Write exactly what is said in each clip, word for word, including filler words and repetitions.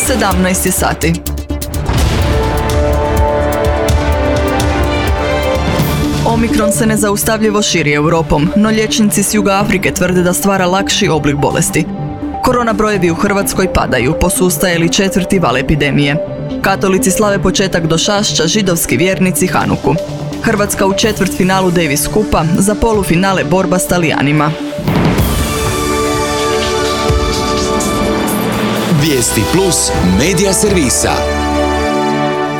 sedamnaest je sati. Omikron se nezaustavljivo širi Europom, no liječnici s juga Afrike tvrde da stvara lakši oblik bolesti. Korona brojevi u Hrvatskoj padaju, posustaje li četvrti val epidemije. Katolici slave početak došašća, židovski vjernici Hanuku. Hrvatska u četvrtfinalu Davis Kupa, za polufinale borba s Talijanima. Vijesti plus medija servisa.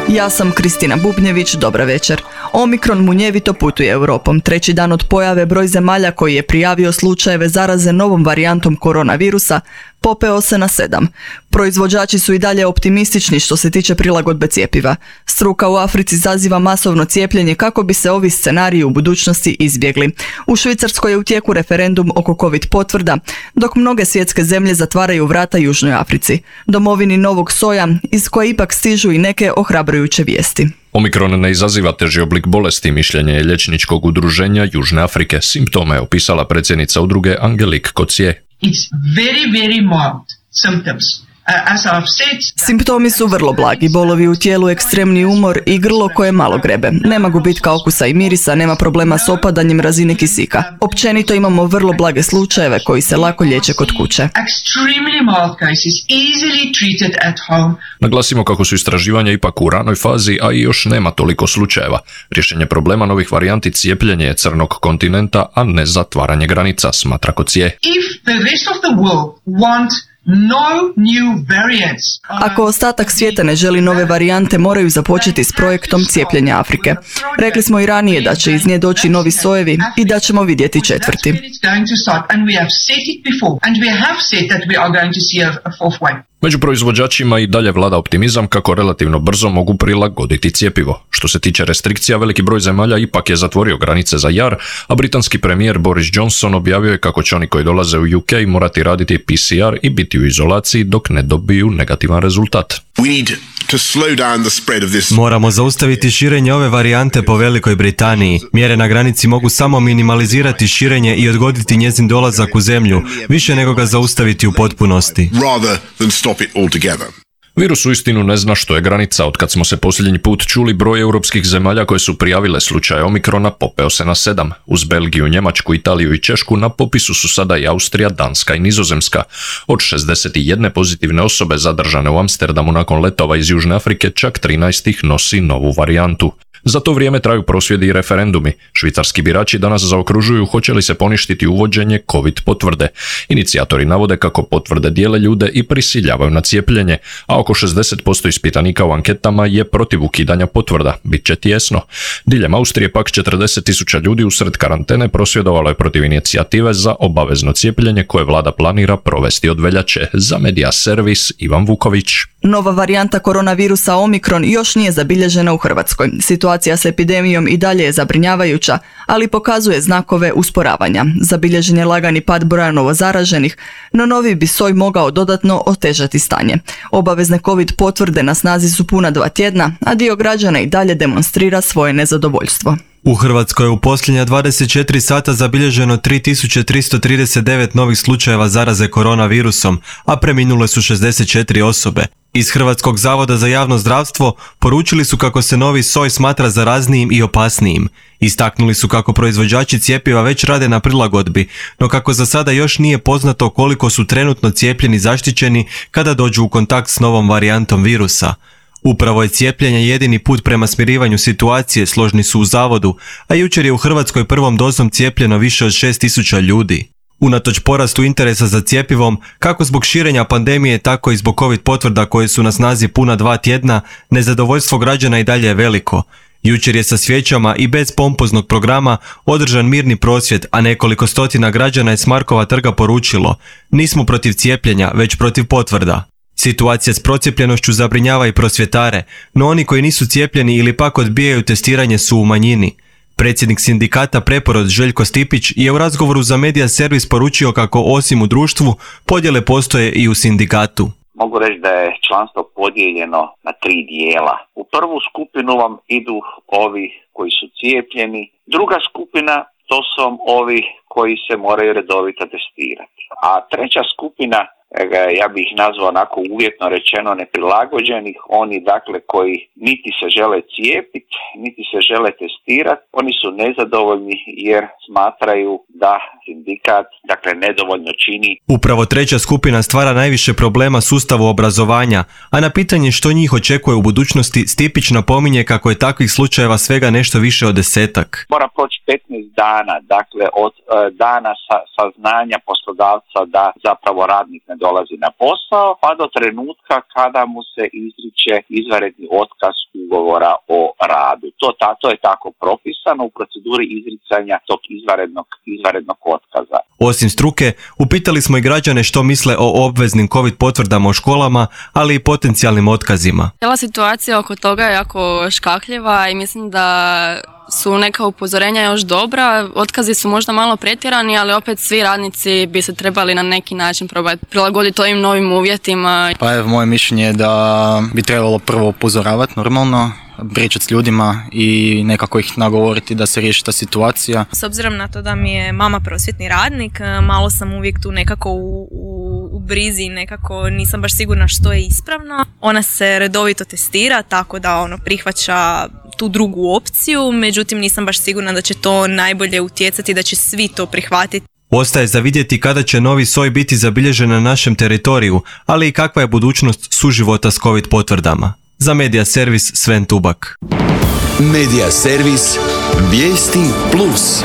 Ja sam Kristina Bubnjević, dobra večer. Omikron munjevito putuje Europom. Treći dan od pojave broj zemalja koji je prijavio slučajeve zaraze novom varijantom koronavirusa popeo se na sedam. Proizvođači su i dalje optimistični što se tiče prilagodbe cjepiva. Struka u Africi zaziva masovno cijepljenje kako bi se ovi scenariji u budućnosti izbjegli. U Švicarskoj je u tijeku referendum oko COVID potvrda, dok mnoge svjetske zemlje zatvaraju vrata Južnoj Africi, domovini novog soja, iz koje ipak stižu i neke ohrabrujuće vijesti. Omikron ne izaziva teži oblik bolesti, mišljenje je liječničkog udruženja Južne Afrike. Simptome je opisala predsjednica udruge Angelique Coetzee. It's very, very mild symptoms. Uh, as I've said... Simptomi su vrlo blagi, bolovi u tijelu, ekstremni umor i grlo koje malo grebe. Nema gubitka okusa i mirisa, nema problema s opadanjem razine kisika. Općenito imamo vrlo blage slučajeve koji se lako liječe kod kuće. Extremely mild cases, easily treated at home. Naglasimo kako su istraživanja ipak u ranoj fazi, a i još nema toliko slučajeva. Rješenje problema novih varijanti cijepljenje je crnog kontinenta, a ne zatvaranje granica, smatra Coetzee. If the rest of the world want no new variants. Ako ostatak svijeta ne želi nove varijante, moraju započeti s projektom cijepljenja Afrike. Rekli smo i ranije da će iz nje doći novi sojevi i da ćemo vidjeti četvrti. Među proizvođačima i dalje vlada optimizam kako relativno brzo mogu prilagoditi cjepivo. Što se tiče restrikcija, veliki broj zemalja ipak je zatvorio granice za jar, a britanski premijer Boris Johnson objavio je kako će oni koji dolaze u U K morati raditi P C R i biti u izolaciji dok ne dobiju negativan rezultat. Moramo zaustaviti širenje ove varijante po Velikoj Britaniji. Mjere na granici mogu samo minimalizirati širenje i odgoditi njezin dolazak u zemlju, više nego ga zaustaviti u potpunosti. Virus uistinu ne zna što je granica. Otkad smo se posljednji put čuli, broj europskih zemalja koje su prijavile slučaje Omikrona popeo se na sedam. Uz Belgiju, Njemačku, Italiju i Češku na popisu su sada i Austrija, Danska i Nizozemska. Od šezdeset jedne pozitivne osobe zadržane u Amsterdamu nakon letova iz Južne Afrike, čak trinaest ih nosi novu varijantu. Za to vrijeme traju prosvjedi i referendumi. Švicarski birači danas zaokružuju hoće li se poništiti uvođenje COVID potvrde. Inicijatori navode kako potvrde dijele ljude i prisiljavaju na cijepljenje, a oko šezdeset posto ispitanika u anketama je protiv ukidanja potvrda. Biće tijesno. Diljem Austrije pak četrdeset tisuća ljudi usred karantene prosvjedovalo je protiv inicijative za obavezno cijepljenje koje vlada planira provesti od veljače. Za Medija servis Ivan Vuković. Nova varijanta koronavirusa Omikron još nije zabilježena u Hrvatskoj. Situacija s epidemijom i dalje je zabrinjavajuća, ali pokazuje znakove usporavanja. Zabilježen je lagani pad broja novozaraženih, no novi bi soj mogao dodatno otežati stanje. Obavezne COVID potvrde na snazi su puna dva tjedna, a dio građana i dalje demonstrira svoje nezadovoljstvo. U Hrvatskoj je u posljednja dvadeset četiri sata zabilježeno tri tisuće tristo trideset devet novih slučajeva zaraze koronavirusom, a preminule su šezdeset četiri osobe. Iz Hrvatskog zavoda za javno zdravstvo poručili su kako se novi soj smatra zaraznijim i opasnijim. Istaknuli su kako proizvođači cjepiva već rade na prilagodbi, no kako za sada još nije poznato koliko su trenutno cijepljeni zaštićeni kada dođu u kontakt s novom varijantom virusa. Upravo je cijepljenje jedini put prema smirivanju situacije, složni su u zavodu, a jučer je u Hrvatskoj prvom dozom cijepljeno više od šest tisuća ljudi. Unatoč porastu interesa za cjepivom, kako zbog širenja pandemije, tako i zbog COVID potvrda koje su na snazi puna dva tjedna, nezadovoljstvo građana i dalje je veliko. Jučer je sa svijećama i bez pompoznog programa održan mirni prosvjed, a nekoliko stotina građana je s Markova trga poručilo: nismo protiv cijepljenja, već protiv potvrda. Situacija s procijepljenošću zabrinjava i prosvjetare, no oni koji nisu cijepljeni ili pak odbijaju testiranje su u manjini. Predsjednik sindikata Preporod Željko Stipić je u razgovoru za Medija servis poručio kako osim u društvu, podjele postoje i u sindikatu. Mogu reći da je članstvo podijeljeno na tri dijela. U prvu skupinu vam idu ovi koji su cijepljeni, druga skupina to su ovi koji se moraju redovito testirati. A treća skupina ja bih ih nazvao onako uvjetno rečeno neprilagođenih, oni dakle koji niti se žele cijepiti, niti se žele testirati, oni su nezadovoljni jer smatraju da sindikat dakle nedovoljno čini. Upravo treća skupina stvara najviše problema sustavu obrazovanja, a na pitanje što njih očekuje u budućnosti Stipić napominje kako je takvih slučajeva svega nešto više od desetak. Mora proći petnaest dana, dakle od e, dana sa, saznanja poslodavca da zapravo radnik ne dolazi na posao, pa do trenutka kada mu se izriče izvanredni otkaz ugovora o radu. To, ta, to je tako propisano u proceduri izricanja tog izvanrednog, izvanrednog otkaza. Osim struke, upitali smo i građane što misle o obveznim COVID potvrdama u školama, ali i potencijalnim otkazima. Cijela situacija oko toga je jako škakljiva i mislim da su neka upozorenja još dobra. Otkazi su možda malo pretjerani, ali opet svi radnici bi se trebali na neki način probati prilagoditi ovim novim uvjetima. Pa evo, moje mišljenje je da bi trebalo prvo upozoravati normalno, pričati s ljudima i nekako ih nagovoriti da se riješi ta situacija. S obzirom na to da mi je mama prosvjetni radnik, malo sam uvijek tu nekako u, u, u brizi, nekako nisam baš sigurna što je ispravno. Ona se redovito testira, tako da ono prihvaća tu drugu opciju, međutim nisam baš sigurna da će to najbolje utjecati, da će svi to prihvatiti. Ostaje za vidjeti kada će novi soj biti zabilježen na našem teritoriju, ali i kakva je budućnost suživota s COVID potvrdama. Za Medija servis Sven Tubak. Medija servis Vijesti plus.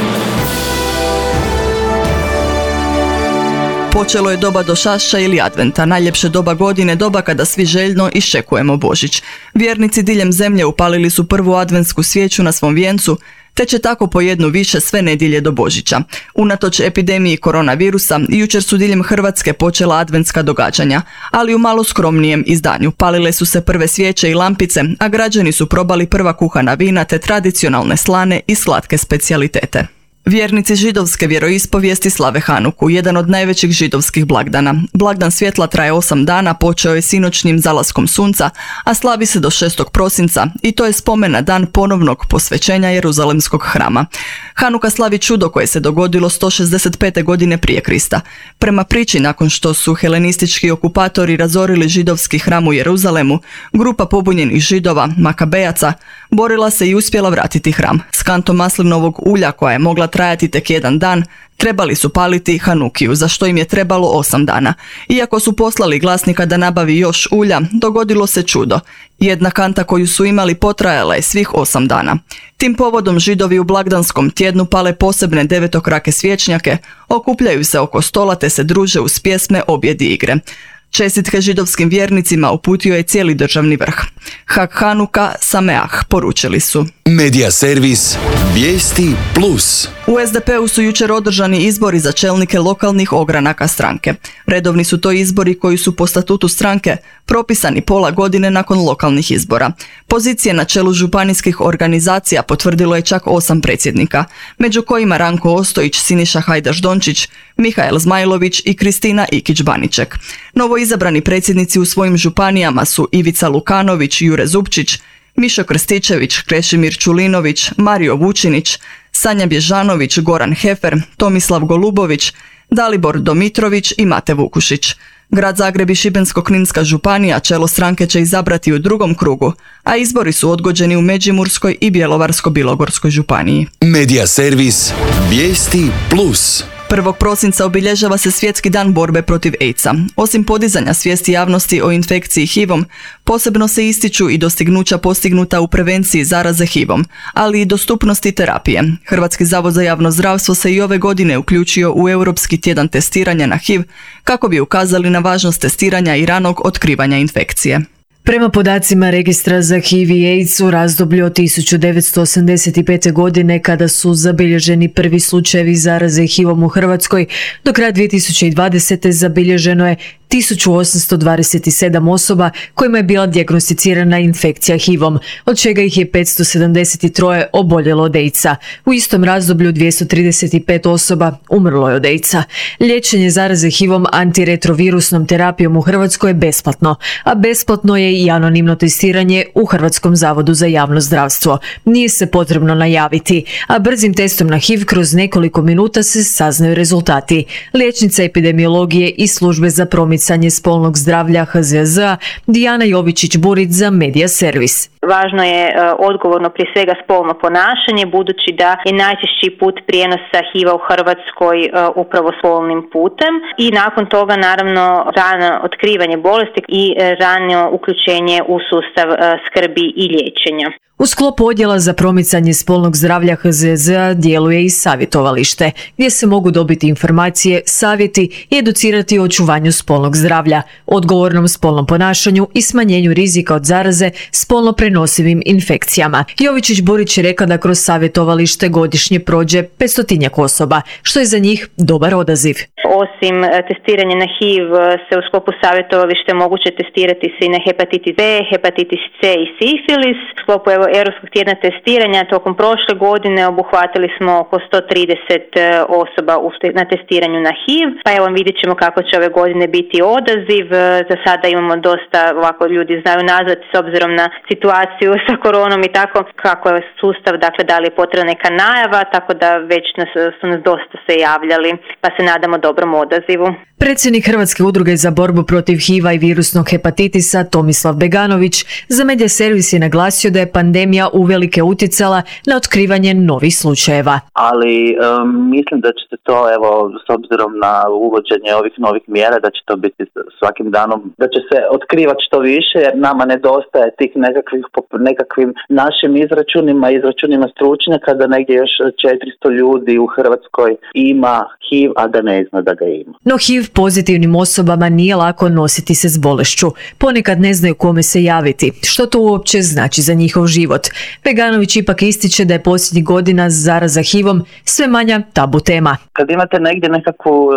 Počelo je doba došašća ili adventa, najljepše doba godine, doba kada svi željno iščekujemo Božić. Vjernici diljem zemlje upalili su prvu adventsku svijeću na svom vijencu, te će tako po jednu više sve nedjelje do Božića. Unatoč epidemiji koronavirusa, jučer su diljem Hrvatske počela adventska događanja, ali u malo skromnijem izdanju. Palile su se prve svijeće i lampice, a građani su probali prva kuhana vina te tradicionalne slane i slatke specijalitete. Vjernici židovske vjeroispovijesti slave Hanuku, jedan od najvećih židovskih blagdana. Blagdan svjetla traje osam dana, počeo je sinoćnim zalaskom sunca, a slavi se do šestog prosinca i to je spomen na dan ponovnog posvećenja Jeruzalemskog hrama. Hanuka slavi čudo koje se dogodilo sto šezdeset pete godine prije Krista. Prema priči, nakon što su helenistički okupatori razorili židovski hram u Jeruzalemu, grupa pobunjenih židova, makabejaca, borila se i uspjela vratiti hram. S kantom maslinovog ulja koja je mogla trajati tek jedan dan, trebali su paliti Hanukiju, za što im je trebalo osam dana. Iako su poslali glasnika da nabavi još ulja, dogodilo se čudo. Jedna kanta koju su imali potrajala je svih osam dana. Tim povodom Židovi u blagdanskom tjednu pale posebne devetokrake svječnjake, okupljaju se oko stola te se druže uz pjesme, objedi i igre. Čestitke židovskim vjernicima uputio je cijeli državni vrh. Hag Hanuka Sameah, poručili su. Medija servis Vijesti plus. U es de pe-u su jučer održani izbori za čelnike lokalnih ogranaka stranke. Redovni su to izbori koji su po statutu stranke propisani pola godine nakon lokalnih izbora. Pozicije na čelu županijskih organizacija potvrdilo je čak osam predsjednika, među kojima Ranko Ostojić, Siniša Hajdaš-Dončić, Mihael Zmajlović i Kristina Ikić-Baniček. Novo izabrani predsjednici u svojim županijama su Ivica Lukanović, Jure Zupčić, Mišo Krstičević, Krešimir Čulinović, Mario Vučinić, Sanja Bježanović, Goran Hefer, Tomislav Golubović, Dalibor Domitrović i Mate Vukušić. Grad Zagreb i Šibensko-kninska županija čelo stranke će izabrati u drugom krugu, a izbori su odgođeni u Međimurskoj i Bjelovarsko-bilogorskoj županiji. Medija servis Vijesti plus. prvog prosinca obilježava se Svjetski dan borbe protiv AIDS-a. Osim podizanja svijesti javnosti o infekciji H I V-om, posebno se ističu i dostignuća postignuta u prevenciji zaraze H I V-om, ali i dostupnosti terapije. Hrvatski zavod za javno zdravstvo se i ove godine uključio u Europski tjedan testiranja na H I V kako bi ukazali na važnost testiranja i ranog otkrivanja infekcije. Prema podacima Registra za H I V i AIDS u razdoblju od tisuću devetsto osamdeset pete. godine, kada su zabilježeni prvi slučajevi zaraze H I V-om u Hrvatskoj, do kraja dvije tisuće dvadesete. zabilježeno je tisuću osamsto dvadeset sedam osoba kojima je bila dijagnosticirana infekcija H I V-om, od čega ih je petsto sedamdeset tri oboljelo od AIDS-a. U istom razdoblju dvjesto trideset pet osoba umrlo je od AIDS-a. Liječenje zaraze H I V-om antiretrovirusnom terapijom u Hrvatskoj je besplatno, a besplatno je i anonimno testiranje u Hrvatskom zavodu za javno zdravstvo. Nije se potrebno najaviti, a brzim testom na H I V kroz nekoliko minuta se saznaju rezultati. Liječnica epidemiologije i službe za promicanje promicanje spolnog zdravlja H Z Z A Dijana Jovičić-Burić za Media Servis. Važno je e, odgovorno prije svega spolno ponašanje, budući da je najčešći put prijenosa H I V-a u Hrvatskoj e, upravo spolnim putem i nakon toga naravno rano otkrivanje bolesti i e, rano uključenje u sustav e, skrbi i liječenja. U sklopu odjela za promicanje spolnog zdravlja H Z Z A djeluje i savjetovalište, gdje se mogu dobiti informacije, savjeti i educirati o očuvanju spolnog zdravlja, odgovornom spolnom ponašanju i smanjenju rizika od zaraze spolno prenosivim infekcijama. Jovičić-Burić je rekla da kroz savjetovalište godišnje prođe petstotinjak osoba, što je za njih dobar odaziv. Osim testiranja na H I V se u sklopu savjetovališta moguće testirati se i na hepatitis B, hepatitis C i sifilis. U sklopu evo, Europskog tjedna testiranja tokom prošle godine obuhvatili smo oko sto trideset osoba na testiranju na H I V. Pa evo vidjet ćemo kako će ove godine biti odaziv. Za sada imamo dosta, ovako ljudi znaju nazvati s obzirom na situaciju sa koronom i tako kako je sustav, dakle da li je potrebna neka najava, tako da već nas, su nas dosta se javljali, pa se nadamo dobrom odazivu. Predsjednik Hrvatske udruge za borbu protiv H I V-a i virusnog hepatitisa Tomislav Beganović za Media Servis je naglasio da je pandemija uvelike utjecala na otkrivanje novih slučajeva. Ali um, mislim da će se to, evo, s obzirom na uvođenje ovih novih mjera, da će to biti svakim danom, da će se otkrivati što više, jer nama nedostaje tih nekakvih, nekakvim našim izračunima, izračunima stručnjaka, da negdje još četiristo ljudi u Hrvatskoj ima H I V, a da ne zna da ga ima. No H I V pozitivnim osobama nije lako nositi se s bolešću. Ponekad ne znaju kome se javiti. Što to uopće znači za njihov život? Beganović ipak ističe da je posljednjih godina zaraza H I V-om sve manja tabu tema. Kad imate negdje nekakvu,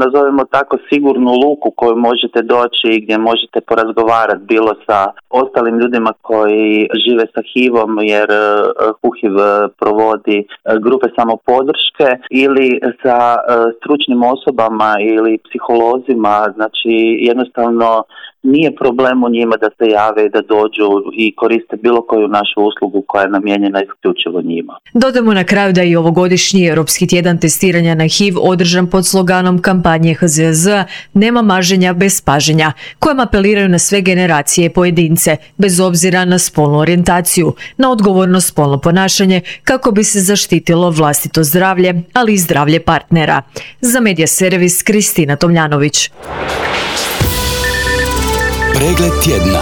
nazovemo tako, sigurnu luku koju možete doći i gdje možete porazgovarati bilo sa ostalim ljudima koji žive sa H I V-om, jer H U H I V provodi grupe samopodrške, ili sa stručnim osobama ili psiholozima, znači jednostavno nije problem u njima da se jave i da dođu i koriste bilo koju našu uslugu koja je namijenjena isključivo njima. Dodamo na kraju da je ovogodišnji Europski tjedan testiranja na H I V održan pod sloganom kampanje H Z Z A Nema maženja bez paženja, kojom apeliraju na sve generacije i pojedince, bez obzira na spolnu orijentaciju, na odgovorno spolno ponašanje kako bi se zaštitilo vlastito zdravlje, ali i zdravlje partnera. Za Media Servis Kristina Tomljanović. Pregled tjedna.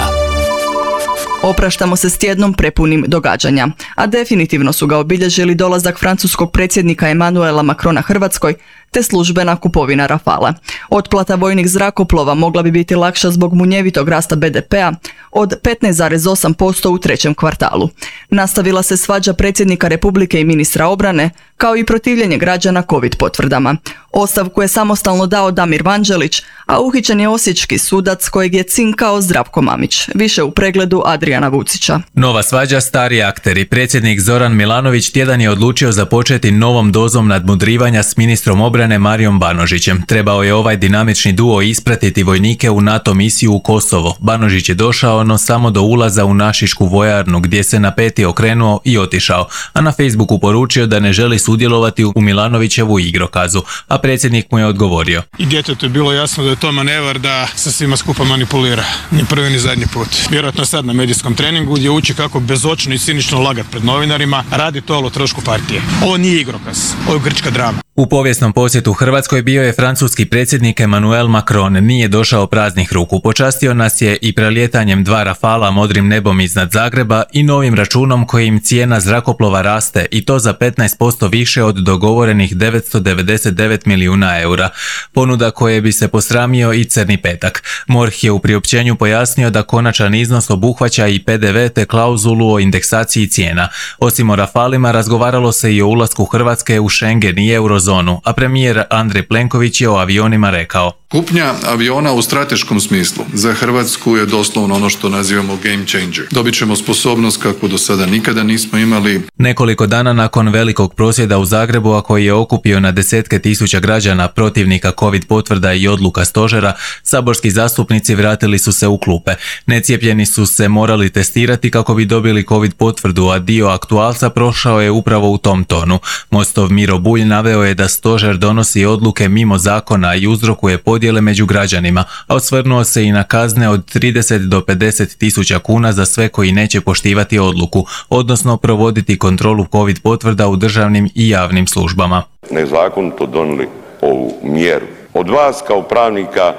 Opraštamo se s tjednom prepunim događanja, a definitivno su ga obilježili dolazak francuskog predsjednika Emmanuela Macrona Hrvatskoj te službena kupovina Rafala. Otplata vojnih zrakoplova mogla bi biti lakša zbog munjevitog rasta B D P-a od petnaest zarez osam posto u trećem kvartalu. Nastavila se svađa predsjednika Republike i ministra obrane, kao i protivljenje građana COVID potvrdama. Ostavku je samostalno dao Damir Vanđelić, a uhićen je osječki sudac kojeg je cinkao Zdravko Mamić. Više u pregledu Adriana Vucića. Nova svađa, stari akteri. Predsjednik Zoran Milanović tjedan je odlučio započeti novom dozom nadmudrivanja s ministrom obrane Marijom Banožićem. Trebao je ovaj dinamični duo ispratiti vojnike u NATO misiju u Kosovo. Banožić je došao, no samo do ulaza u našišku vojarnu, gdje se na peti okrenuo i otišao, a na Facebooku poručio da ne želi sudjelovati u Milanovićevu igrokazu, a predsjednik mu je odgovorio. I djetetu je bilo jasno da je to manevar da sa svima skupa manipulira. Ni prvi ni zadnji put. Vjerojatno sad na medijskom treningu gdje uči kako bezočno i cinično lagat pred novinarima, radi to o trošku partije. Ovo nije igrokaz, ovo je grčka drama. U povijesnom posjetu Hrvatskoj bio je francuski predsjednik Emmanuel Macron. Nije došao praznih ruku. Počastio nas je i prelijetanjem dva Rafala modrim nebom iznad Zagreba i novim računom kojim cijena zrakoplova raste, i to za petnaest posto više od dogovorenih devetsto devedeset devet milijuna eura. Ponuda koje bi se posramio i crni petak. MORH je u priopćenju pojasnio da konačan iznos obuhvaća i P D V te klauzulu o indeksaciji cijena. Osim o Rafalima razgovaralo se i o ulasku Hrvatske u Schengen i eurozonu, a premijer Andrej Plenković je o avionima rekao: Kupnja aviona u strateškom smislu za Hrvatsku je doslovno ono što nazivamo game changer. Dobit ćemo sposobnost kakvu do sada nikada nismo imali. Nekoliko dana nakon velikog prosvjeda u Zagrebu, a koji je okupio na desetke tisuća građana protivnika COVID potvrda i odluka stožera, saborski zastupnici vratili su se u klupe. Necijepljeni su se morali testirati kako bi dobili COVID potvrdu, a dio aktualca prošao je upravo u tom tonu. Mostov Miro Bulj naveo je da stožer donosi odluke mimo zakona i uzrokuje podjele među građanima, a osvrnuo se i na kazne od trideset do pedeset tisuća kuna za sve koji neće poštivati odluku, odnosno provoditi kontrolu COVID potvrda u državnim i javnim službama. Nezakonito donijeli ovu mjeru. Od vas kao pravnika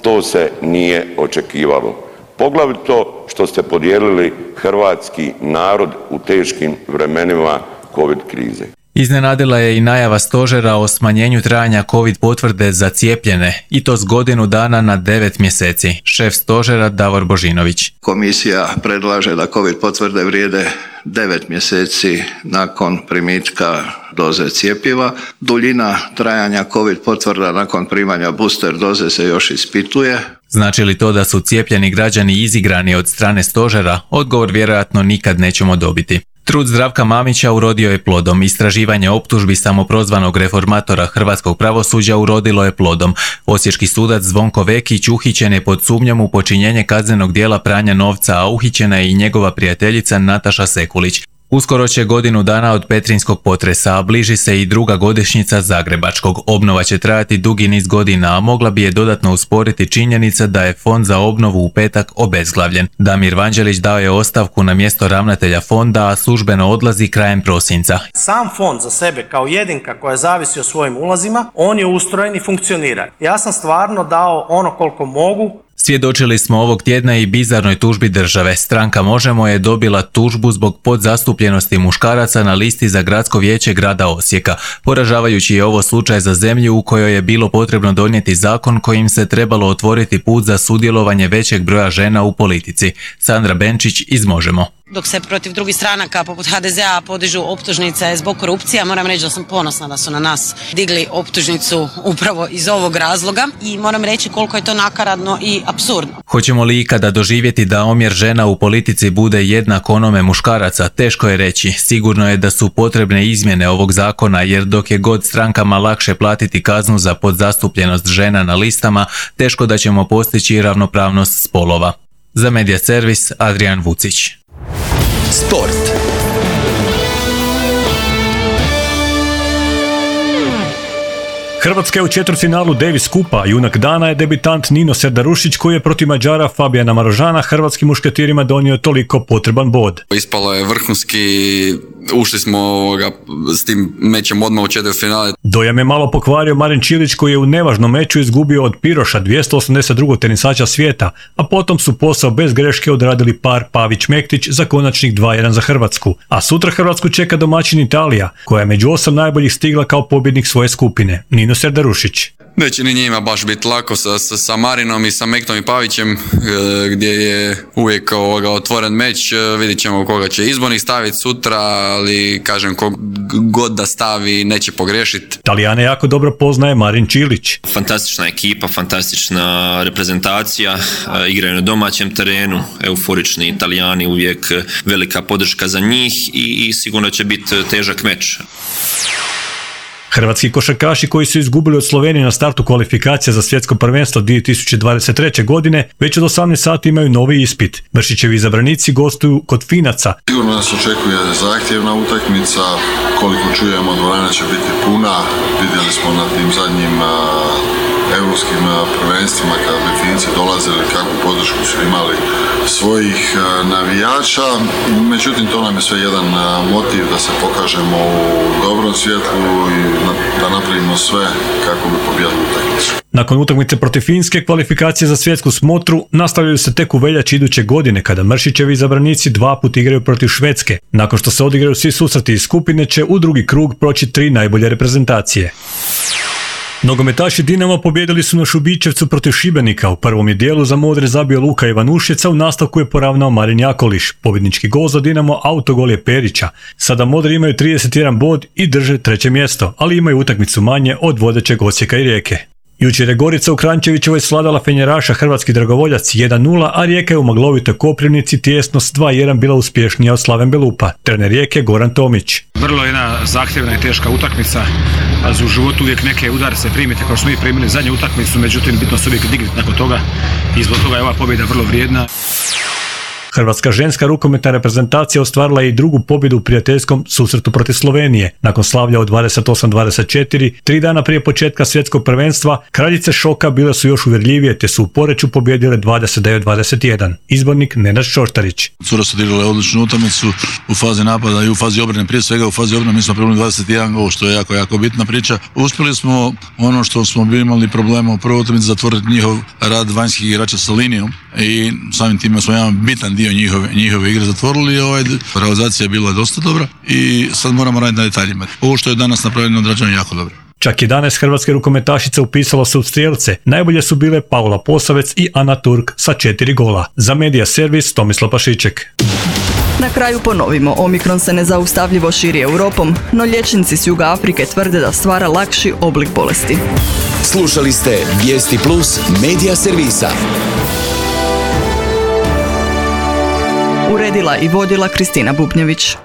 to se nije očekivalo. Poglavito što ste podijelili hrvatski narod u teškim vremenima COVID krize. Iznenadila je i najava stožera o smanjenju trajanja COVID potvrde za cijepljene, i to s godinu dana na devet mjeseci. Šef stožera Davor Božinović. Komisija predlaže da COVID potvrde vrijede devet mjeseci nakon primitka doze cjepiva. Duljina trajanja COVID potvrda nakon primanja booster doze se još ispituje. Znači li to da su cijepljeni građani izigrani od strane stožera? Odgovor vjerojatno nikad nećemo dobiti. Trud Zdravka Mamića urodio je plodom. Istraživanje optužbi samoprozvanog reformatora hrvatskog pravosuđa urodilo je plodom. Osječki sudac Zvonko Vekić uhićen je pod sumnjom u počinjenje kaznenog dijela pranja novca, a uhićena je i njegova prijateljica Nataša Sekulić. Uskoro će godinu dana od petrinjskog potresa, a bliži se i druga godišnjica zagrebačkog. Obnova će trajati dugi niz godina, a mogla bi je dodatno usporiti činjenica da je fond za obnovu u petak obezglavljen. Damir Vanđelić dao je ostavku na mjesto ravnatelja fonda, a službeno odlazi krajem prosinca. Sam fond za sebe kao jedinka koja zavisi o svojim ulazima, on je ustrojen i funkcionira. Ja sam stvarno dao ono koliko mogu. Svjedočili smo ovog tjedna i bizarnoj tužbi države. Stranka Možemo je dobila tužbu zbog podzastupljenosti muškaraca na listi za gradsko vijeće grada Osijeka. Poražavajući je ovo slučaj za zemlju u kojoj je bilo potrebno donijeti zakon kojim se trebalo otvoriti put za sudjelovanje većeg broja žena u politici. Sandra Benčić iz Možemo. Dok se protiv drugih stranaka poput ha de zea podižu optužnice zbog korupcija, moram reći da sam ponosna da su na nas digli optužnicu upravo iz ovog razloga i moram reći koliko je to nakaradno i apsurdno. Hoćemo li ikada doživjeti da omjer žena u politici bude jednak onome muškaraca? Teško je reći. Sigurno je da su potrebne izmjene ovog zakona, jer dok je god strankama lakše platiti kaznu za podzastupljenost žena na listama, teško da ćemo postići ravnopravnost spolova. Za Media Servis, Adrian Vucić. Sport. Hrvatska je u četvrtfinalu Davis Kupa, junak dana je debitant Nino Serdarušić koji je protiv Mađara Fabijana Marožana hrvatskim mušketirima donio toliko potreban bod. Ispalo je vrhunski, ušli smo ovoga, s tim mečem odmah u četvrtfinale. Dojam je malo pokvario Marin Čilić koji je u nevažnom meču izgubio od Piroša, dvjesto osamdeset drugog tenisača svijeta, a potom su posao bez greške odradili par Pavić-Mektić za konačnih dva jedan za Hrvatsku. A sutra Hrvatsku čeka domaćin Italija, koja je među osam najboljih stigla kao pobjednik svoje skupine. Nino Serdarušić. Neće ni njima baš biti lako sa, sa, sa Marinom i sa Mektom i Pavićem, gdje je uvijek ovoga otvoren meč. Vidit ćemo koga će izbornik staviti sutra, ali kažem kog god da stavi neće pogriješiti. Talijane jako dobro poznaje Marin Čilić. Fantastična ekipa, fantastična reprezentacija, igraju na domaćem terenu, euforični Italijani, uvijek velika podrška za njih i, i sigurno će biti težak meč. Hrvatski košarkaši koji su izgubili od Slovenije na startu kvalifikacija za svjetsko prvenstvo dvije tisuće dvadeset treće. godine već od osamnaest sati imaju novi ispit. Vršićevi izabranici gostuju kod Finaca. Sigurno nas očekuje zahtjevna utakmica, koliko čujemo dvorana će biti puna, vidjeli smo na tim zadnjim europskim prvenstvima kada bi Finci dolazili, kakvu podršku su imali svojih navijača. Međutim, to nam je sve jedan motiv da se pokažemo u dobrom svjetlu i da napravimo sve kako bi pobjedili utakmicu. Nakon utakmice protiv Finske, kvalifikacije za svjetsku smotru nastavljaju se tek u veljači iduće godine kada Mršićevi izabranici dva put igraju protiv Švedske. Nakon što se odigraju svi susreti iz skupine će u drugi krug proći tri najbolje reprezentacije. Nogometaši Dinama pobjedili su na Šubićevcu protiv Šibenika. U prvom je dijelu za modre zabio Luka Ivanušica, u nastavku je poravnao Marin Jakoliš. Pobjednički gol za Dinamo, autogol je Perića. Sada modri imaju trideset jedan bod i drže treće mjesto, ali imaju utakmicu manje od vodećeg Osijeka i Rijeke. Jučer je Gorica u Kranjčevićevoj svladala Fenjeraša Hrvatski Dragovoljac jedan nula, a Rijeka je u maglovitoj Koprivnici tijesno s dva jedan bila uspješnija od Slaven Belupa. Trener Rijeke Goran Tomić. Vrlo jedna zahtjevna i teška utakmica. U životu uvijek neke udarce primite kao smo mi primili zadnju utakmicu, međutim bitno se uvijek dignuti nakon toga i zbog toga je ova pobjeda vrlo vrijedna. Hrvatska ženska rukometna reprezentacija ostvarila je i drugu pobjedu u prijateljskom susretu protiv Slovenije. Nakon slavlja od dvadeset osam dvadeset četiri, tri dana prije početka svjetskog prvenstva, kraljice šoka bile su još uvjerljivije te su u Poreču pobjedile dvadeset devet dvadeset jedan. Izbornik Nenad Šoštarić. Cure su odigrale odličnu utakmicu u fazi napada i u fazi obrane, prije svega u fazi obrane mi smo primili dvadeset jedan gol, što je jako, jako bitna priča. Uspjeli smo ono što smo bili imali problema u prvoj utakmici, zatvoriti njihov rad vanjskih igrača sa linijom i samim time smo jedan bitan dio njihove, njihove igre zatvorili. Ovaj, realizacija je bila dosta dobra i sad moramo raditi na detaljima. Ovo što je danas napravljeno odrađeno je jako dobro. Čak jedanaest hrvatske rukometašice upisalo se u strijelce. Najbolje su bile Paula Posavec i Ana Turk sa četiri gola. Za Medija servis Tomislav Pašiček. Na kraju ponovimo, Omikron se nezaustavljivo širi Europom, no liječnici s Juga Afrike tvrde da stvara lakši oblik bolesti. Slušali ste Vijesti Plus Medija servisa. Uredila i vodila Kristina Bubnjević.